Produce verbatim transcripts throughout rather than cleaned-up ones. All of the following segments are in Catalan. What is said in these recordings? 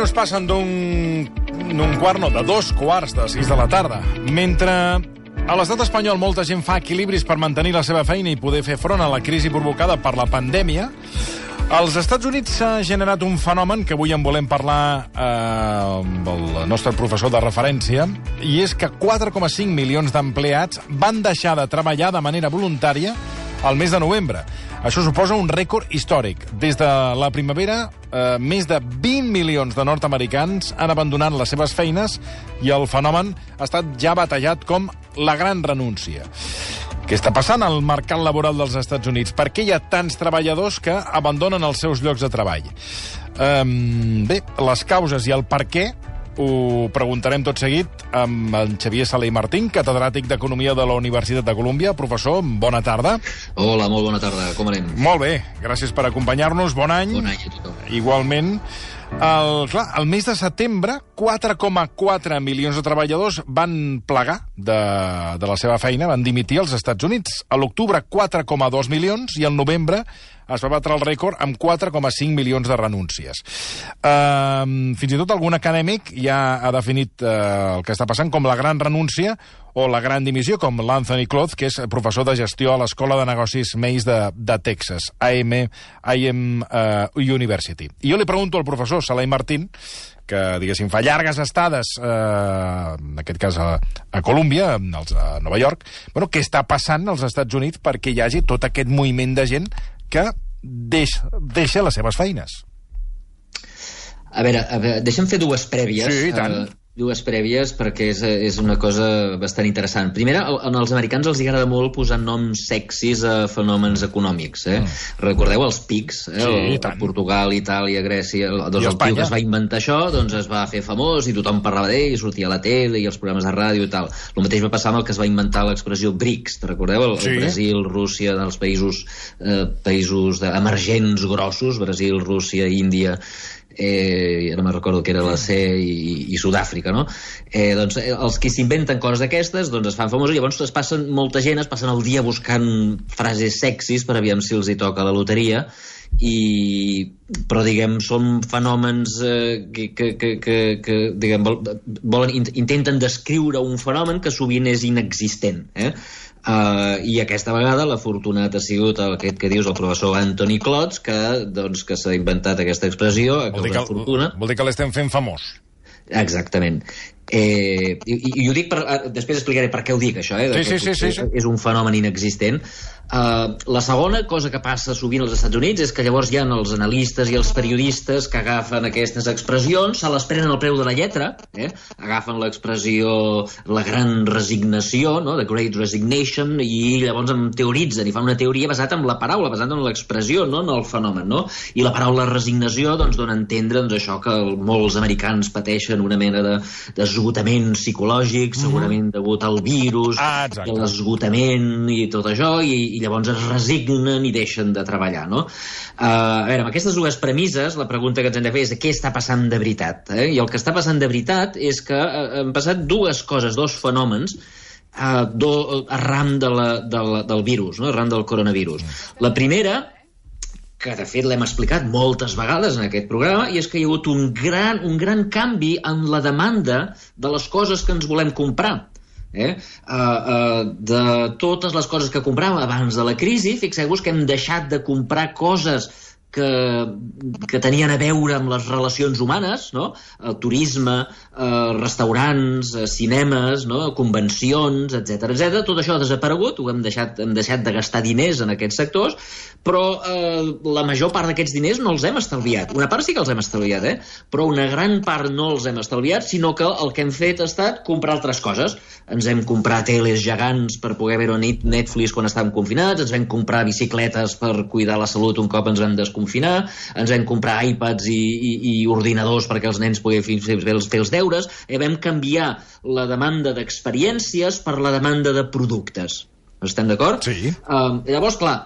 minuts passen d'un quart, no, de dos quarts de sis de la tarda. Mentre a l'estat espanyol molta gent fa equilibris per mantenir la seva feina i poder fer front a la crisi provocada per la pandèmia, als Estats Units s'ha generat un fenomen que avui en volem parlar eh, amb el nostre professor de referència, i és que quatre coma cinc milions d'empleats van deixar de treballar de manera voluntària al mes de novembre. Això suposa un rècord històric. Des de la primavera, eh, més de vint milions de nord-americans han abandonat les seves feines i el fenomen ha estat ja batallat com la gran renúncia. Què està passant al mercat laboral dels Estats Units? Per què hi ha tants treballadors que abandonen els seus llocs de treball? Um, bé, les causes i el per què ho preguntarem tot seguit amb en Xavier Sala i Martín, catedràtic d'Economia de la Universitat de Colúmbia. Professor, bona tarda. Hola, molt bona tarda. Com anem? Molt bé, gràcies per acompanyar-nos. Bon any. Bon any a tothom. Igualment. El, clar, el mes de setembre, quatre coma quatre milions de treballadors van plegar de, de la seva feina, van dimitir als Estats Units. A l'octubre, quatre coma dos milions, i al novembre es va batre el rècord amb quatre coma cinc milions de renúncies. Uh, fins i tot algun acadèmic ja ha definit uh, el que està passant com la gran renúncia o la gran dimissió, com l'Anthony Cloth, que és professor de gestió a l'Escola de Negocis Mays de, de Texas, A M, A M uh, University. I jo li pregunto al professor Salai Martín, que, diguéssim, fa llargues estades, eh, en aquest cas a, a Colúmbia, a Nova York, bueno, què està passant als Estats Units perquè hi hagi tot aquest moviment de gent que deixa, deixa les seves feines? A veure, a veure, deixa'm fer dues prèvies. Sí, i tant. Uh, dues prèvies perquè és, és una cosa bastant interessant. Primera, als americans els agrada molt posar noms sexis a fenòmens econòmics. Eh? Mm. Recordeu els pics? Eh? Sí, el, a Portugal, Itàlia, Grècia... Doncs el tio que es va inventar això doncs es va fer famós i tothom parlava d'ell, i sortia a la tele i els programes de ràdio i tal. El mateix va passar amb el que es va inventar l'expressió BRICS. Te recordeu? El, sí. el Brasil, Rússia, dels països, eh, països emergents grossos, Brasil, Rússia, Índia... Eh, ara me'n recordo que era la C i, i Sud-àfrica, no? Eh, doncs els que s'inventen coses d'aquestes doncs es fan famosos, llavors es passen, molta gent es passen el dia buscant frases sexis per aviam si els hi toca la loteria, i però diguem són fenòmens eh, que, que, que, que, que diguem, volen, intenten descriure un fenomen que sovint és inexistent, eh? Uh, i aquesta vegada l'afortunat ha sigut aquest que dius, el professor Anthony Cloth, que, doncs, que s'ha inventat aquesta expressió a causa de fortuna. Vol dir que l'estem fent famós. Exactament. Eh, i, i ho dic per, després explicaré per què ho dic, això, eh? Sí, sí, sí, sí, sí. És un fenomen inexistent. Uh, la segona cosa que passa sovint als Estats Units és que llavors hi ha els analistes i els periodistes que agafen aquestes expressions, se les prenen al preu de la lletra, eh? Agafen l'expressió la gran resignació, no? The Great Resignation, i llavors en teoritzen i fan una teoria basada en la paraula, basada en l'expressió, no en el fenomen, no? I la paraula resignació doncs, dona a entendre doncs, això que molts americans pateixen una mena de, d'esgotament psicològic, segurament degut al virus, ah, l'esgotament i tot això, i, i llavors es resignen i deixen de treballar, no? Uh, a veure, amb aquestes dues premisses, la pregunta que ens hem de fer és què està passant de veritat, eh? I el que està passant de veritat és que uh, han passat dues coses, dos fenòmens, uh, do, arran de la, de la, del virus, no? Arran del coronavirus. La primera, que de fet l'hem explicat moltes vegades en aquest programa, i és que hi ha hagut un gran, un gran canvi en la demanda de les coses que ens volem comprar. Eh? Uh, uh, de totes les coses que compràvem abans de la crisi, fixeu-vos que hem deixat de comprar coses que, que tenien a veure amb les relacions humanes, no? El turisme, eh, restaurants, eh, cinemes, no? Convencions, etcètera, etcètera. Tot això ha desaparegut, ho hem deixat, hem deixat de gastar diners en aquests sectors, però eh, la major part d'aquests diners no els hem estalviat. Una part sí que els hem estalviat, eh? Però una gran part no els hem estalviat, sinó que el que hem fet ha estat comprar altres coses. Ens hem comprat teles gegants per poder veure Netflix quan estàvem confinats, ens vam comprar bicicletes per cuidar la salut un cop ens vam desconfinar, ens vam comprar iPads i, i, i ordinadors perquè els nens poguessin fer, fer, fer els deures, i vam canviar la demanda d'experiències per la demanda de productes. Estem d'acord? Sí. Uh, llavors, clar,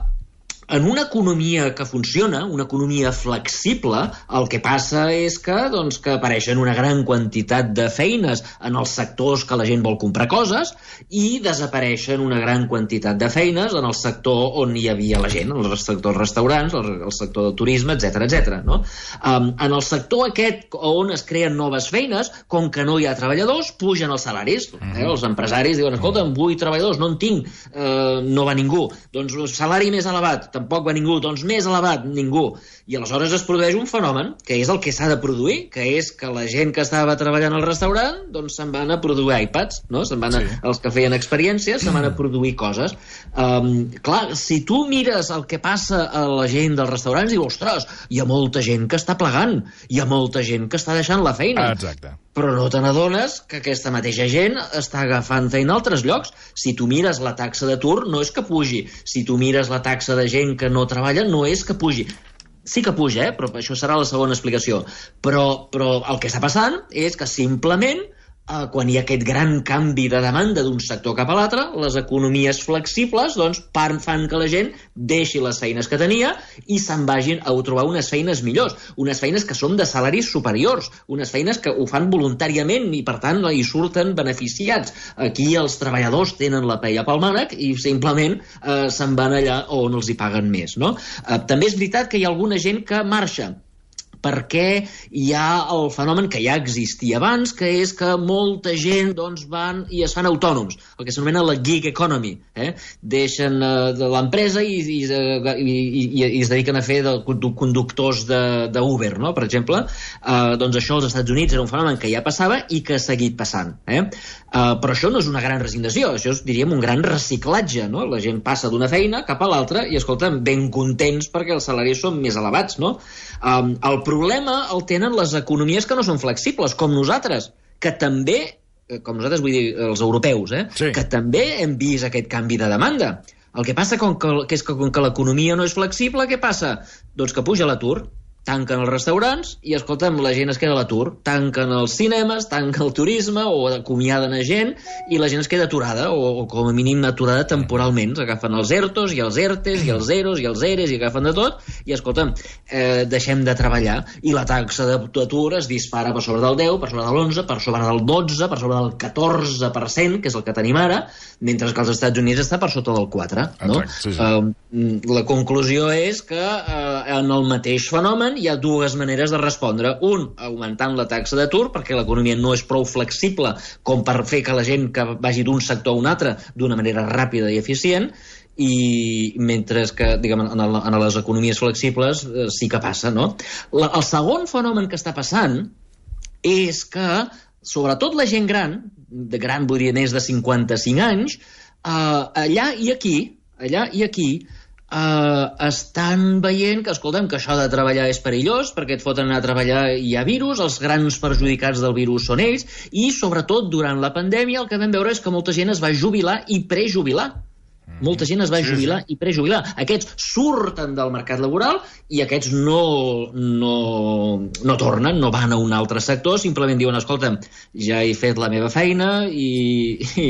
en una economia que funciona, una economia flexible, el que passa és que, doncs, que apareixen una gran quantitat de feines en els sectors que la gent vol comprar coses i desapareixen una gran quantitat de feines en el sector on hi havia la gent, el sector dels restaurants, el sector del turisme, etcètera, etcètera, no? Um, en el sector aquest on es creen noves feines, com que no hi ha treballadors, pugen els salaris. Eh? Els empresaris diuen, escolta, vull treballadors, no en tinc, uh, no va ningú. Doncs salari més elevat, tampoc va ningú, doncs més elevat, ningú. I aleshores es produeix un fenomen, que és el que s'ha de produir, que és que la gent que estava treballant al restaurant, doncs se'n van a produir iPads, no? Se'n van a, sí. Els que feien experiències se'n van a produir coses. Um, clar, si tu mires el que passa a la gent dels restaurants, dius, ostres, hi ha molta gent que està plegant, hi ha molta gent que està deixant la feina. Exacte. Però no te n'adones que aquesta mateixa gent està agafant feina a altres llocs. Si tu mires la taxa d'atur, no és que pugi. Si tu mires la taxa de gent que no treballa, no és que pugi. Sí que puja, eh? Però això serà la segona explicació. Però, però el que està passant és que simplement eh, quan hi ha aquest gran canvi de demanda d'un sector cap a l'altre, les economies flexibles doncs, fan que la gent deixi les feines que tenia i se'n vagin a trobar unes feines millors, unes feines que són de salaris superiors, unes feines que ho fan voluntàriament i per tant hi surten beneficiats. Aquí els treballadors tenen la paella pel mànec i simplement eh, se'n van allà on els hi paguen més, no? Eh, també és veritat que hi ha alguna gent que marxa perquè hi ha el fenomen que ja existia abans, que és que molta gent doncs, van i es fan autònoms, el que s'anomena la gig economy. Eh? Deixen uh, de l'empresa i, i, i, i, i es dediquen a fer de conductors d'Uber, no? Per exemple. Uh, doncs això als Estats Units era un fenomen que ja passava i que ha seguit passant. Eh? Uh, però això no és una gran resignació, això és, diríem, un gran reciclatge. No? La gent passa d'una feina cap a l'altra i, escolta, ben contents perquè els salaris són més elevats. No? Um, el problema el tenen les economies que no són flexibles, com nosaltres, que també, com nosaltres vull dir els europeus, eh, sí. que també hem vist aquest canvi de demanda. El que passa com que, que és que com que l'economia no és flexible, què passa? Doncs que puja l'atur, tanquen els restaurants i, escolta'm, la gent es queda a l'atur. Tanquen els cinemes, tanquen el turisme o acomiaden a gent i la gent es queda aturada o, o com a mínim aturada temporalment. Agafen els ERTOs i els ERTEs i els EROs i els EREs i agafen de tot i, escolta'm, eh, deixem de treballar i la taxa d'atur es dispara per sobre del deu, per sobre de l'onze, per sobre del dotze, per sobre del catorze per cent, que és el que tenim ara, mentre que als Estats Units està per sota del quatre. No? Exacte, sí, sí. Eh, la conclusió és que eh, en el mateix fenomen hi ha dues maneres de respondre. Un, augmentant la taxa d'atur, perquè l'economia no és prou flexible com per fer que la gent que vagi d'un sector a un altre d'una manera ràpida i eficient, i mentre que, diguem, en, el, en les economies flexibles eh, sí que passa, no? La, el segon fenomen que està passant és que, sobretot la gent gran, de gran vull dir més de cinquanta-cinc anys, eh, allà i aquí, allà i aquí, Uh, estan veient que, escolta'm, que això de treballar és perillós perquè et foten anar a treballar i hi ha virus, els grans perjudicats del virus són ells i, sobretot, durant la pandèmia el que vam veure és que molta gent es va jubilar i prejubilar. Molta gent es va jubilar sí, sí. i prejubilar. Aquests surten del mercat laboral i aquests no, no, no tornen, no van a un altre sector, simplement diuen, escolta'm, ja he fet la meva feina i, i,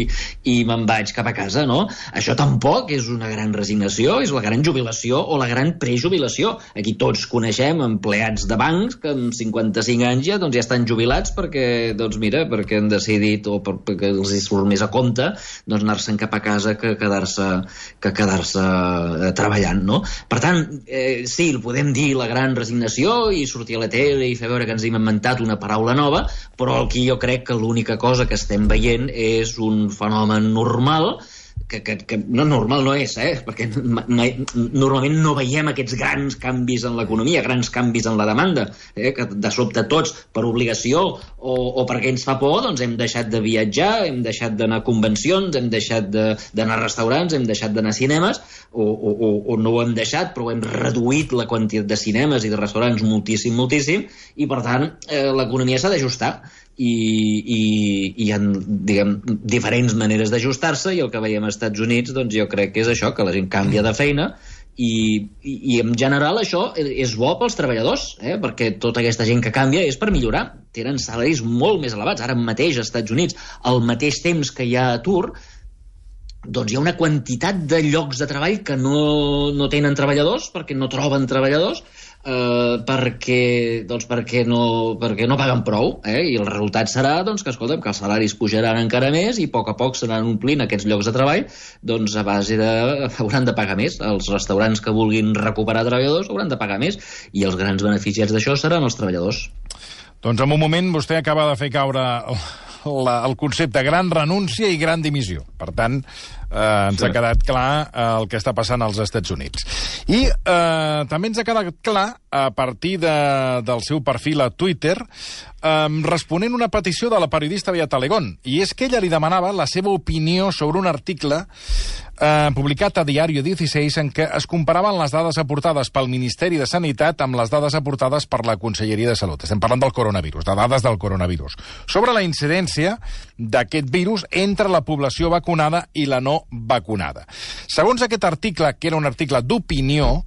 i me'n vaig cap a casa, no? Això tampoc és una gran resignació, és la gran jubilació o la gran prejubilació. Aquí tots coneixem empleats de bancs que amb cinquanta-cinc anys ja, doncs, ja estan jubilats perquè, doncs mira, perquè han decidit o perquè els surt més a compte doncs, anar-se'n cap a casa que quedar-se que quedar-se eh, treballant, no? Per tant, eh, sí, el podem dir la gran resignació i sortir a la tele i fer veure que ens hem inventat una paraula nova, però aquí jo crec que l'única cosa que estem veient és un fenomen normal que, que, que no normal no és, eh? Perquè mai, normalment no veiem aquests grans canvis en l'economia, grans canvis en la demanda, eh? Que de sobte tots, per obligació o, o perquè ens fa por, doncs hem deixat de viatjar, hem deixat d'anar a convencions, hem deixat d'anar a restaurants, hem deixat d'anar a cinemes, o, o, o, o no ho hem deixat, però hem reduït la quantitat de cinemes i de restaurants moltíssim, moltíssim, i per tant eh, l'economia s'ha d'ajustar. I, i, i hi ha, diguem, diferents maneres d'ajustar-se i el que veiem als Estats Units doncs jo crec que és això, que la gent canvia de feina i, i, i en general això és bo pels treballadors, eh? Perquè tota aquesta gent que canvia és per millorar, tenen salaris molt més elevats. Ara mateix als Estats Units, al mateix temps que hi ha atur, doncs hi ha una quantitat de llocs de treball que no, no tenen treballadors, perquè no troben treballadors, eh, perquè, doncs perquè, no, perquè no paguen prou, eh? I el resultat serà doncs, que, escolta'm, que els salaris pujaran encara més i a poc a poc s'aran omplint aquests llocs de treball, doncs a base de... hauran de pagar més. Els restaurants que vulguin recuperar treballadors hauran de pagar més, i els grans beneficiats d'això seran els treballadors. Doncs en un moment vostè acaba de fer caure la, el concepte gran renúncia i gran dimissió. Per tant, eh, ens sí. ha quedat clar eh, el que està passant als Estats Units. I eh, també ens ha quedat clar, a partir de, del seu perfil a Twitter, eh, responent una petició de la periodista Beata Alegón, i és que ella li demanava la seva opinió sobre un article eh, publicat a Diario dieciséis en què es comparaven les dades aportades pel Ministeri de Sanitat amb les dades aportades per la Conselleria de Salut. Estem parlant del coronavirus, de dades del coronavirus, sobre la incidència d'aquest virus entre la població vacunada i la no vacunada. Segons aquest article, que era un article d'opinió,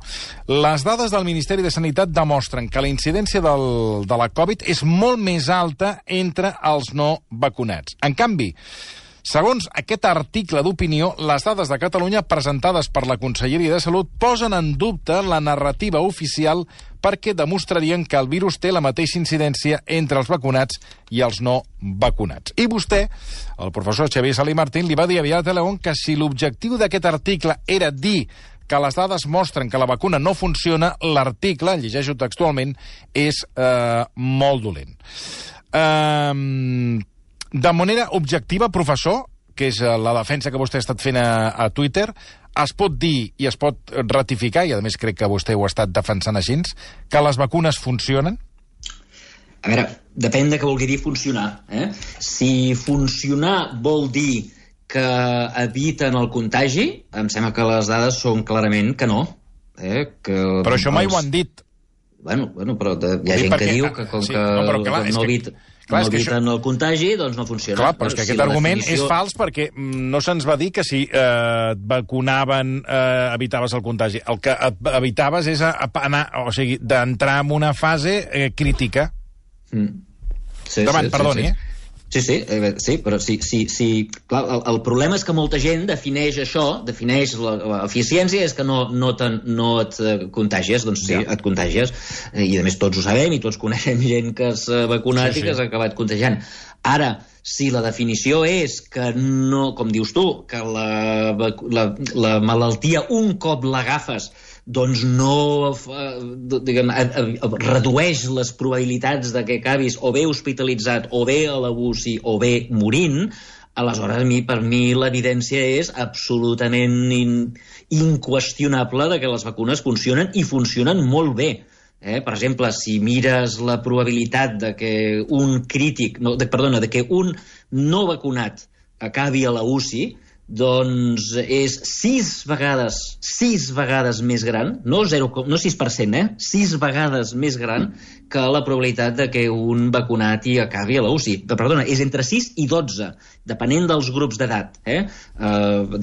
les dades del Ministeri de Sanitat demostren que la incidència del, de la Covid és molt més alta entre els no vacunats. En canvi, segons aquest article d'opinió, les dades de Catalunya presentades per la Conselleria de Salut posen en dubte la narrativa oficial perquè demostrarien que el virus té la mateixa incidència entre els vacunats i els no vacunats. I vostè, el professor Xavier Salí Martín, li va dir a Beata Alegón que si l'objectiu d'aquest article era dir que les dades mostren que la vacuna no funciona, l'article, llegeixo textualment, és eh, molt dolent. Eh, de manera objectiva, professor, que és la defensa que vostè ha estat fent a, a Twitter, es pot dir i es pot ratificar, i a més crec que vostè ho ha estat defensant així, que les vacunes funcionen? A veure, depèn de què vulgui dir funcionar. Eh? Si funcionar vol dir que eviten el contagi, em sembla que les dades són clarament que no. Eh? Que però això mai els... ho han dit. Bueno, bueno però de, hi ha gent perquè... que diu que com sí, que no, però, clar, que no evita... Que... Clar, no eviten això... el contagi, doncs no funciona. Clar, però és que si aquest argument definició... és fals perquè no se'ns va dir que si eh, vacunaven eh, evitaves el contagi. El que evitaves és a, a anar, o sigui, d'entrar en una fase eh, crítica. Mm. Sí, Davant, sí, perdoni, sí, sí. eh? Sí, sí, eh, sí, però sí, sí, sí. Clar, el, el problema és que molta gent defineix això, defineix l'eficiència, és que no, no, te, no et contagies, doncs sí, ja. et contagies, i a més tots ho sabem i tots coneixem gent que s'ha vacunat sí, sí. i que s'ha acabat contagiant. Ara, si la definició és que no, com dius tu, que la, la, la malaltia un cop l'agafes doncs no diguem, redueix les probabilitats de que acabis o bé hospitalitzat o bé a la U C I o bé morint, aleshores a mi, per mi l'evidència és absolutament in, inqüestionable de que les vacunes funcionen i funcionen molt bé. Eh? Per exemple, si mires la probabilitat de que un crític, no, de, perdona, de que un no vacunat acabi a la U C I, doncs és sis vegades, sis vegades més gran, no, zero, no sis per cent, eh? sis vegades més gran que la probabilitat de que un vacunat hi acabi a la U C I. Perdona, és entre sis i dotze, depenent dels grups d'edat. Eh? Uh,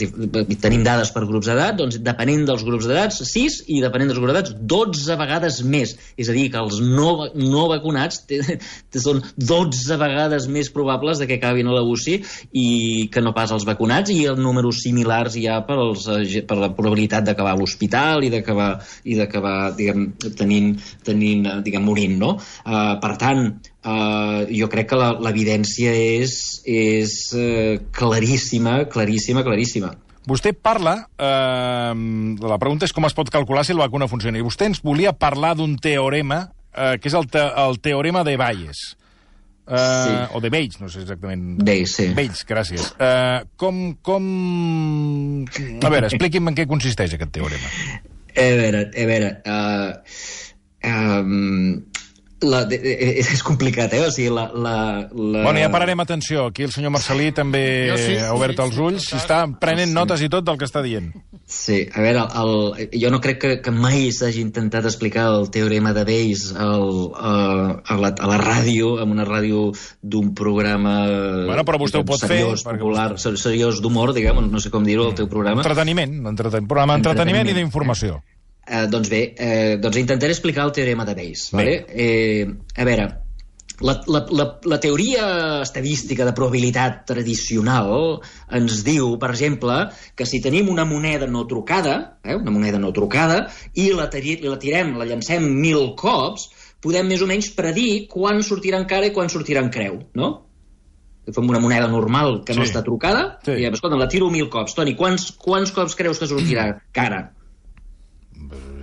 tenim dades per grups d'edat, doncs depenent dels grups d'edat, sis, i depenent dels grups d'edat, dotze vegades més. És a dir, que els no, no vacunats te, te són dotze vegades més probables de que acabin a la U C I i que no pas els vacunats, i els números similars hi ha per, els, per la probabilitat d'acabar a l'hospital i d'acabar i d'acabar diguem, tenint, tenint diguem, morint. No? Uh, per tant, uh, jo crec que l'evidència és, és uh, claríssima, claríssima, claríssima. Vostè parla, eh, la pregunta és com es pot calcular si la vacuna funciona, i vostè ens volia parlar d'un teorema, eh, que és el, te el teorema de Bayes. Uh, sí. O de Bayes, no sé exactament. Bayes, sí. Bayes, gràcies. Uh, com, com... A veure, expliqui'm en què consisteix aquest teorema. A veure, a veure... Uh, um... La, de, de, és complicat, eh? O sigui, la, la, la... Bueno, ja pararem atenció. Aquí el senyor Marcelí també sí, ha obert sí, els ulls i està prenent sí. notes i tot del que està dient. Sí, a veure, el, el, jo no crec que, que mai s'hagi intentat explicar el teorema de Bayes el, a, a, la, a la ràdio, en una ràdio d'un programa bueno, però vostè ho pot seriós, fer, popular, vostè... seriós d'humor, diguem, no sé com dir-ho, el teu programa. Entreteniment, entreten... programa d'entreteniment i d'informació. Eh, doncs bé, eh, doncs intentaré explicar el teorema de Bayes. Vale? Eh, a veure, La, la, la, la teoria estadística de probabilitat tradicional ens diu, per exemple, que si tenim una moneda no trucada, eh, una moneda no trucada, i la, la tirem, la llancem mil cops, podem més o menys predir quan sortirà en cara i quan sortirà en creu, no? Fem una moneda normal que no sí. està trucada, sí. i escolta, la tiro mil cops. Toni, quants, quants cops creus que sortirà cara?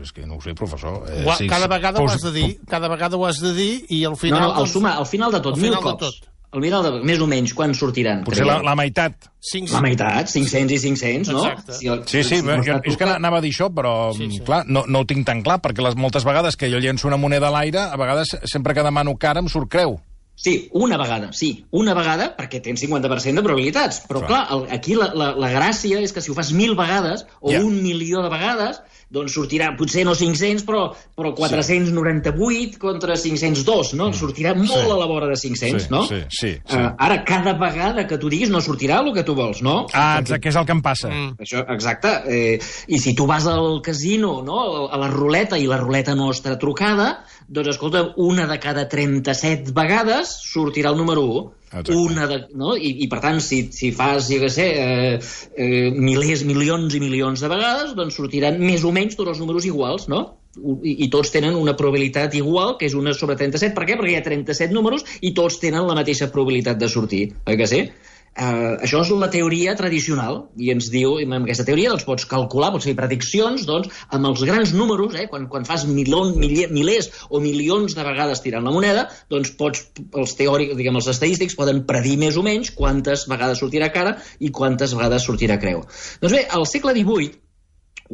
És que no ho sé, professor. Eh, sí, cada vegada pos... ho has de dir, cada vegada ho has de dir, i al final... No, no, al, suma, al final de tot, mil cops. Al final de, més o menys, quan sortiran? Potser la, la meitat. cinc-cents. La meitat, cinc-cents i cinc-cents, no? Exacte. Si el, sí, sí, si no és que anava a dir això, però, sí, sí. clar, no, no ho tinc tan clar, perquè les moltes vegades que jo llenço una moneda a l'aire, a vegades, sempre que demano cara, em surt creu. Sí, una vegada, sí. Una vegada, perquè tens cinquanta per cent de probabilitats. Però, clar, clar el, aquí la, la, la gràcia és que si ho fas mil vegades, o yeah. un milió de vegades, doncs sortirà, potser no cinc-cents, però, però quatre-cents noranta-vuit contra cinc-cents dos, no? Sortirà molt sí. a la vora de cinc-cents, sí, no? Sí, sí, sí. Uh, ara, cada vegada que tu diguis no sortirà el que tu vols, no? Ah, exacte, que és el que em passa. Mm. Això, exacte. Eh, I si tu vas al casino, no?, a la ruleta, i la ruleta no està trucada, doncs, escolta, una de cada trenta-set vegades sortirà el número u. Exacte. Una de, no? I, I, per tant, si, si fas, jo què sé, eh, eh, milers, milions i milions de vegades, doncs sortiran més o menys tots els números iguals, no? I, i tots tenen una probabilitat igual, que és una sobre trenta-set. Per què? Perquè hi ha trenta-set números i tots tenen la mateixa probabilitat de sortir, oi que sí? Uh, això és la teoria tradicional, i ens diu, amb aquesta teoria doncs, pots calcular, pots fer prediccions doncs, amb els grans números, eh, quan, quan fas milion, milers o milions de vegades tirant la moneda, doncs pots, els teòrics, diguem, els estadístics poden predir més o menys quantes vegades sortirà cara i quantes vegades sortirà creu. Doncs bé, al segle divuit,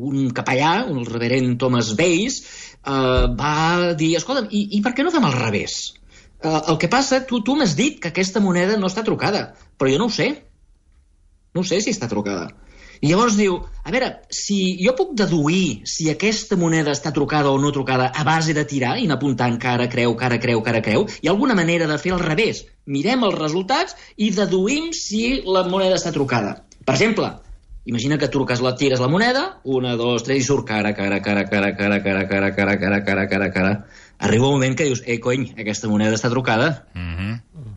un capellà, un reverend Thomas Bayes, uh, va dir, escolta, i, i per què no fem al revés? Uh, el que passa, tu, tu m'has dit que aquesta moneda no està trucada, però jo no ho sé. No sé si està trucada. I llavors diu, a veure, si jo puc deduir si aquesta moneda està trucada o no trucada a base de tirar i anar apuntant cara, creu, cara, creu, cara, creu, hi ha alguna manera de fer al revés. Mirem els resultats i deduïm si la moneda està trucada. Per exemple, imagina que truques, la tires la moneda, una, dos, tres, i surt cara, cara, cara, cara, cara, cara, cara, cara, cara, cara, cara, cara. Arriba un moment que dius, ei, cony, aquesta moneda està trucada. Mm-hmm.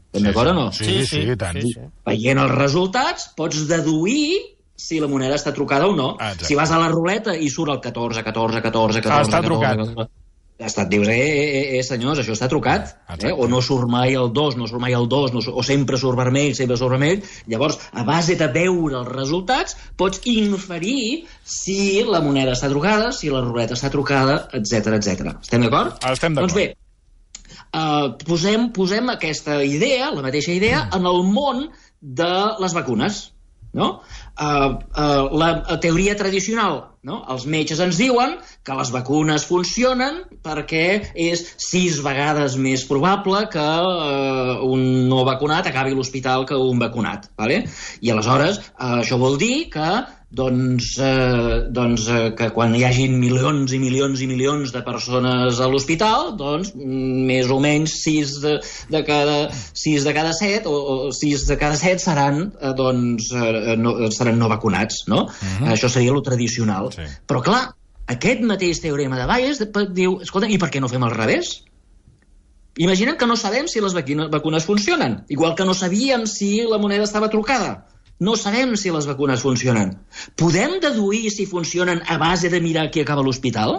Estem d'acord o no? Sí, sí, sí, sí, tant. Sí, sí. Veient els resultats, pots deduir si la moneda està trucada o no. Ah, si vas a la ruleta i surt el catorze, catorze, catorze, catorze... Ah, està catorze, trucat. catorze, et dius, eh, eh, eh, senyors, això està trucat, eh? O no surt mai el dos, no surt mai el dos, no, o sempre surt vermell, sempre surt vermell. Llavors, a base de veure els resultats, pots inferir si la moneda està trucada, si la ruleta està trucada, etcètera, etcètera. Estem d'acord? Ah, estem d'acord. Doncs bé, uh, posem, posem aquesta idea, la mateixa idea, mm. en el món de les vacunes, no? Uh, uh, la teoria tradicional, no? Els metges ens diuen que les vacunes funcionen perquè és sis vegades més probable que uh, un no vacunat acabi a l'hospital que un vacunat, ¿vale? I aleshores uh, això vol dir que doncs, eh, doncs eh, que quan hi hagin milions i milions i milions de persones a l'hospital, doncs més o menys sis de, de cada sis de cada set o, o sis de cada set seran eh, doncs eh, no, seran no vacunats, no? Uh-huh. Això seria lo tradicional. Sí. Però clar, aquest mateix teorema de Bayes diu, escolta, i per què no fem al revés? Imaginem que no sabem si les vacunes funcionen, igual que no sabíem si la moneda estava trucada. No sabem si les vacunes funcionen. Podem deduir si funcionen a base de mirar qui acaba a l'hospital?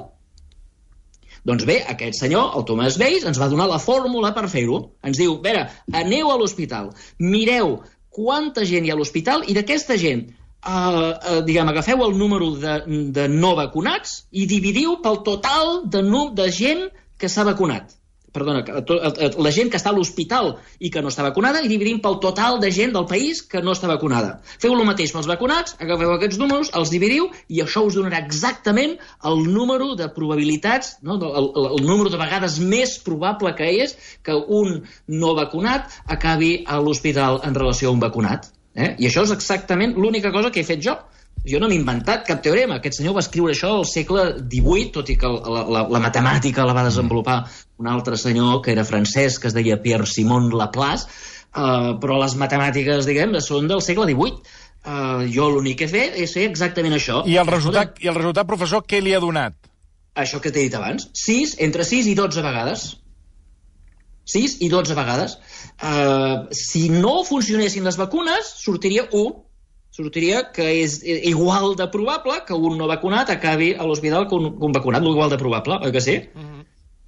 Doncs bé, aquest senyor, el Thomas Bayes, ens va donar la fórmula per fer-ho. Ens diu, a veure, aneu a l'hospital, mireu quanta gent hi ha a l'hospital i d'aquesta gent, eh, uh, diguem, agafeu el número de, de no vacunats i dividiu pel total de, de gent que s'ha vacunat. Perdona, la gent que està a l'hospital i que no està vacunada i dividim pel total de gent del país que no està vacunada. Feu el mateix pels vacunats, agafeu aquests números, els dividiu i això us donarà exactament el número de probabilitats, no? el, el, el número de vegades més probable que és que un no vacunat acabi a l'hospital en relació a un vacunat. Eh? I això és exactament l'única cosa que he fet jo. Jo no m'he inventat cap teorema. Aquest senyor va escriure això al segle divuit, tot i que la, la, la matemàtica la va desenvolupar un altre senyor que era francès, que es deia Pierre-Simon Laplace, uh, però les matemàtiques, diguem, són del segle divuit. Uh, jo l'únic que he fet és fer exactament això. I el resultat, i el resultat, professor, què li ha donat? Això que t'he dit abans. sis, entre sis i dotze vegades. sis i dotze vegades. Uh, si no funcionessin les vacunes, sortiria u. Sortiria que és igual de probable que un no vacunat acabi a l'hospital que un, un vacunat, igual de probable, oi que sí? Uh-huh.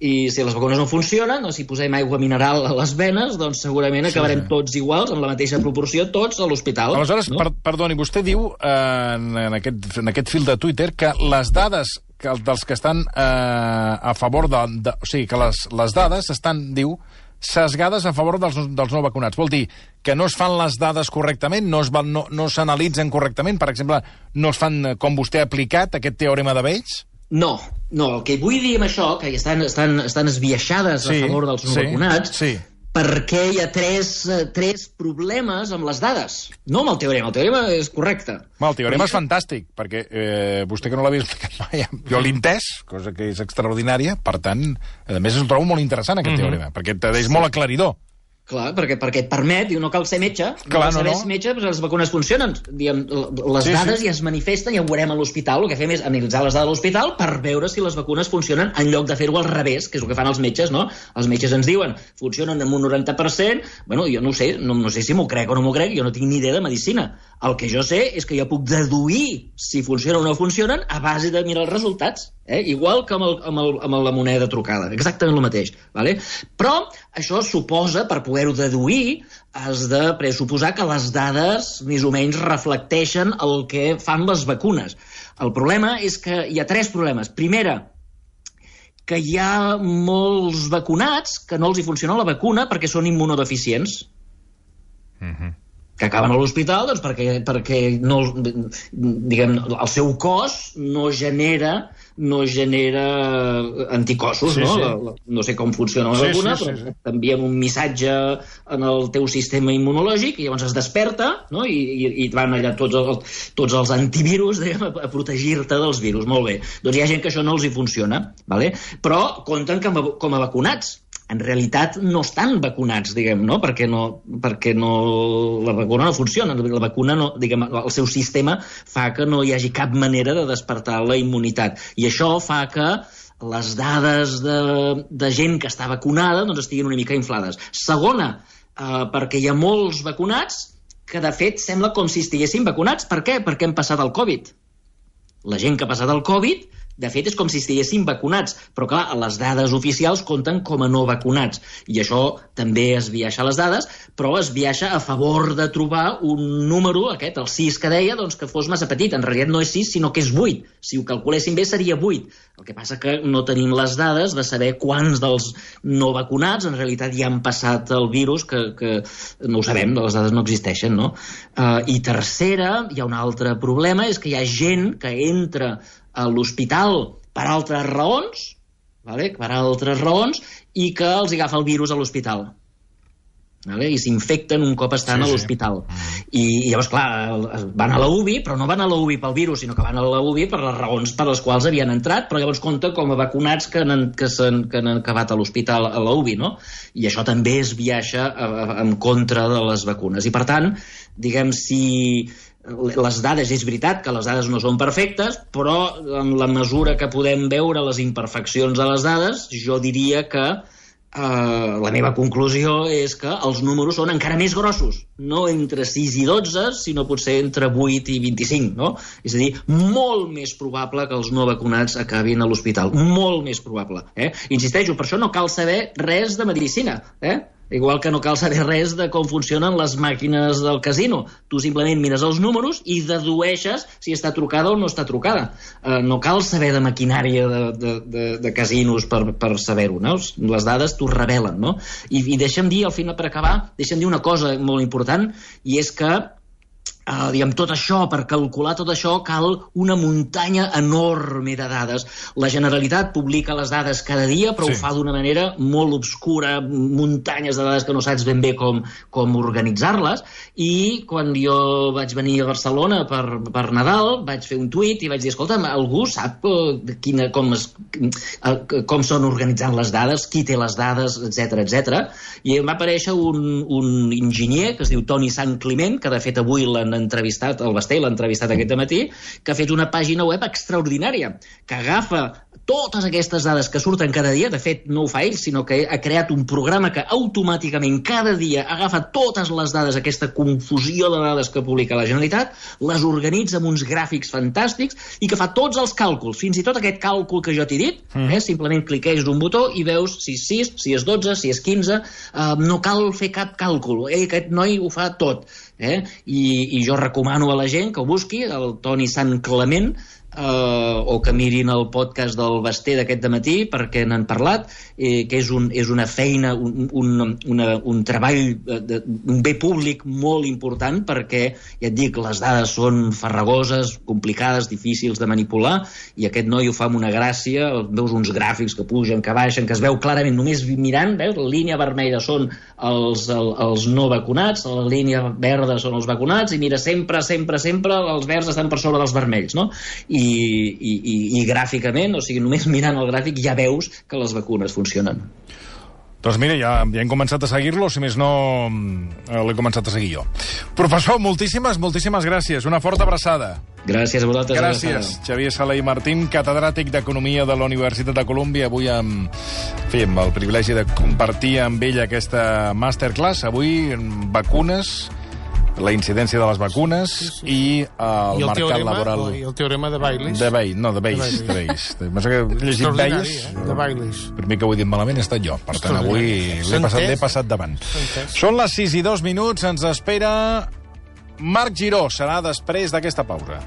I si les vacunes no funcionen, o si posem aigua mineral a les venes, doncs segurament acabarem sí, sí. tots iguals, en la mateixa proporció, tots a l'hospital. Aleshores, no? per, perdoni, vostè diu eh, en, aquest, en aquest fil de Twitter que les dades que, dels que estan eh, a favor de, de... O sigui, que les, les dades estan, diu, sesgades a favor dels, dels no vacunats. Vol dir que no es fan les dades correctament, no es van, no, no s'analitzen correctament, per exemple, no es fan com vostè ha aplicat, aquest teorema de Bayes? No, no, el que vull dir amb això, que estan, estan, estan esbiaixades sí, a favor dels no sí, vacunats, sí. perquè hi ha tres, tres problemes amb les dades, no amb el teorema. El teorema és correcte. Well, el teorema perquè... és fantàstic, perquè eh, vostè que no l'havia explicat mai, jo l'he entès, cosa que és extraordinària, per tant, a més el trobo molt interessant, aquest mm-hmm. teorema, perquè és molt aclaridor. Clar, perquè, perquè et permet, diu, no cal ser metge, Clar, no cal saber no, no. metge, però les vacunes funcionen. Diguem, les sí, dades sí. ja es manifesten i ja ho veurem a l'hospital. El que fem és analitzar les dades a l'hospital per veure si les vacunes funcionen en lloc de fer-ho al revés, que és el que fan els metges, no? Els metges ens diuen, funcionen en un noranta per cent, bueno, jo no ho sé, no, no sé si m'ho crec o no m'ho crec, jo no tinc ni idea de medicina. El que jo sé és que jo puc deduir si funcionen o no funcionen a base de mirar els resultats. Eh? Igual que amb, el, amb, el, amb la moneda trucada, exactament el mateix, vale? Però això suposa, per poder-ho deduir, has de pressuposar que les dades més o menys reflecteixen el que fan les vacunes. El problema és que hi ha tres problemes. Primera, que hi ha molts vacunats que no els hi funciona la vacuna perquè són immunodeficients. Mhm. Que acaben a l'hospital doncs, perquè, perquè no, diguem, el seu cos no genera no genera anticossos, sí, no? Sí. La, la, no sé com funciona la sí, vacuna, sí, sí, però sí. t'envien un missatge en el teu sistema immunològic i llavors es desperta, no? I, i, i van allà tots, el, tots els antivirus diguem, a, a protegir-te dels virus. Molt bé. Doncs hi ha gent que això no els hi funciona, vale? Però compten com a, com a vacunats. En realitat no estan vacunats, diguem, no? Perquè, no, perquè no, la vacuna no funciona. La vacuna, no, diguem, el seu sistema fa que no hi hagi cap manera de despertar la immunitat. I això fa que les dades de, de gent que està vacunada doncs estiguin una mica inflades. Segona, eh, perquè hi ha molts vacunats que, de fet, sembla com si estiguessin vacunats. Per què? Perquè hem passat el Covid. La gent que ha passat el Covid... De fet, és com si estiguessin vacunats, però clar, les dades oficials compten com a no vacunats, i això també es viaixa les dades, però es viaixa a favor de trobar un número, aquest, el sis que deia, doncs que fos massa petit. En realitat no és sis, sinó que és vuit. Si ho calculéssim bé seria vuit. El que passa que no tenim les dades de saber quants dels no vacunats en realitat ja han passat el virus, que, que no ho sabem, les dades no existeixen, no? Uh, I tercera, hi ha un altre problema, és que hi ha gent que entra a l'hospital per altres raons, vale? per altres raons, i que els agafa el virus a l'hospital. Vale? I s'infecten un cop estan sí, a l'hospital. Sí. I, I llavors, clar, van a la U B I, però no van a la U B I pel virus, sinó que van a la U B I per les raons per les quals havien entrat, però llavors compta com a vacunats que han, que s'han, que han acabat a l'hospital a la U B I, no? I això també es viaixa a, a, en contra de les vacunes. I per tant, diguem, si... les dades, és veritat que les dades no són perfectes, però en la mesura que podem veure les imperfeccions de les dades, jo diria que eh, la meva conclusió és que els números són encara més grossos, no entre sis i dotze, sinó potser entre vuit i vint-i-cinc, no? És a dir, molt més probable que els no vacunats acabin a l'hospital, molt més probable. Eh? Insisteixo, per això no cal saber res de medicina, eh? Igual que no cal saber res de com funcionen les màquines del casino. Tu simplement mires els números i dedueixes si està trucada o no està trucada. Uh, no cal saber de maquinària de, de, de, de casinos per, per saber-ho, no? Les dades t'ho revelen, no? I, i deixa'm dir, al final, per acabar, deixa'm dir una cosa molt important, i és que Uh, diguem, tot això, per calcular tot això cal una muntanya enorme de dades. La Generalitat publica les dades cada dia, però sí. ho fa d'una manera molt obscura, muntanyes de dades que no saps ben bé com, com organitzar-les, i quan jo vaig venir a Barcelona per, per Nadal vaig fer un tuit i vaig dir, escolta, algú sap uh, quina, com, es, uh, com són organitzant les dades, qui té les dades, etcètera, etcètera. I em va aparèixer un, un enginyer que es diu Toni Sant Climent, que de fet avui l'han entrevistat, el Basté l'ha entrevistat aquest matí, que ha fet una pàgina web extraordinària, que agafa totes aquestes dades que surten cada dia, de fet no ho fa ell, sinó que ha creat un programa que automàticament cada dia agafa totes les dades, aquesta confusió de dades que publica la Generalitat, les organitza amb uns gràfics fantàstics i que fa tots els càlculs, fins i tot aquest càlcul que jo t'he dit, mm. eh, simplement cliqueix d'un botó i veus si és sis, si és dotze, si és quinze, eh, no cal fer cap càlcul, eh, aquest noi ho fa tot. Eh? I, I jo recomano a la gent que ho busqui, el Toni Sant Clement, Uh, o que mirin el podcast del Basté d'aquest dematí perquè n'han parlat, eh, que és, un, és una feina, un, un, una, un treball, de, un bé públic molt important perquè, ja et dic, les dades són farragoses, complicades, difícils de manipular, i aquest noi ho fa amb una gràcia, veus uns gràfics que pugen, que baixen, que es veu clarament només mirant, veus, la línia vermella són els, el, els no vacunats, la línia verda són els vacunats, i mira, sempre, sempre, sempre els verds estan per sobre dels vermells, no? I I, i, i, i gràficament, o sigui, només mirant el gràfic ja veus que les vacunes funcionen. Doncs mira, ja, ja hem començat a seguir-lo, si més no l'he començat a seguir jo. Professor, moltíssimes, moltíssimes gràcies. Una forta abraçada. Gràcies a vosaltres. Gràcies, Xavier Sala i Martín, catedràtic d'Economia de la Universitat de Colúmbia. Avui amb, en fi, amb el privilegi de compartir amb ell aquesta masterclass. Avui, vacunes, la incidència de les vacunes sí, sí. i el, I el mercat teorema, laboral... I el teorema de Baylis. De Baylis, no, de Baylis. De Baylis. Penso que he llegit Baylis. Eh? De Baylis. Per mi que ho he dit malament he estat jo. Per tant, avui l'he passat, passat davant. Són les sis i dos minuts, ens espera Marc Giró. Serà després d'aquesta pausa.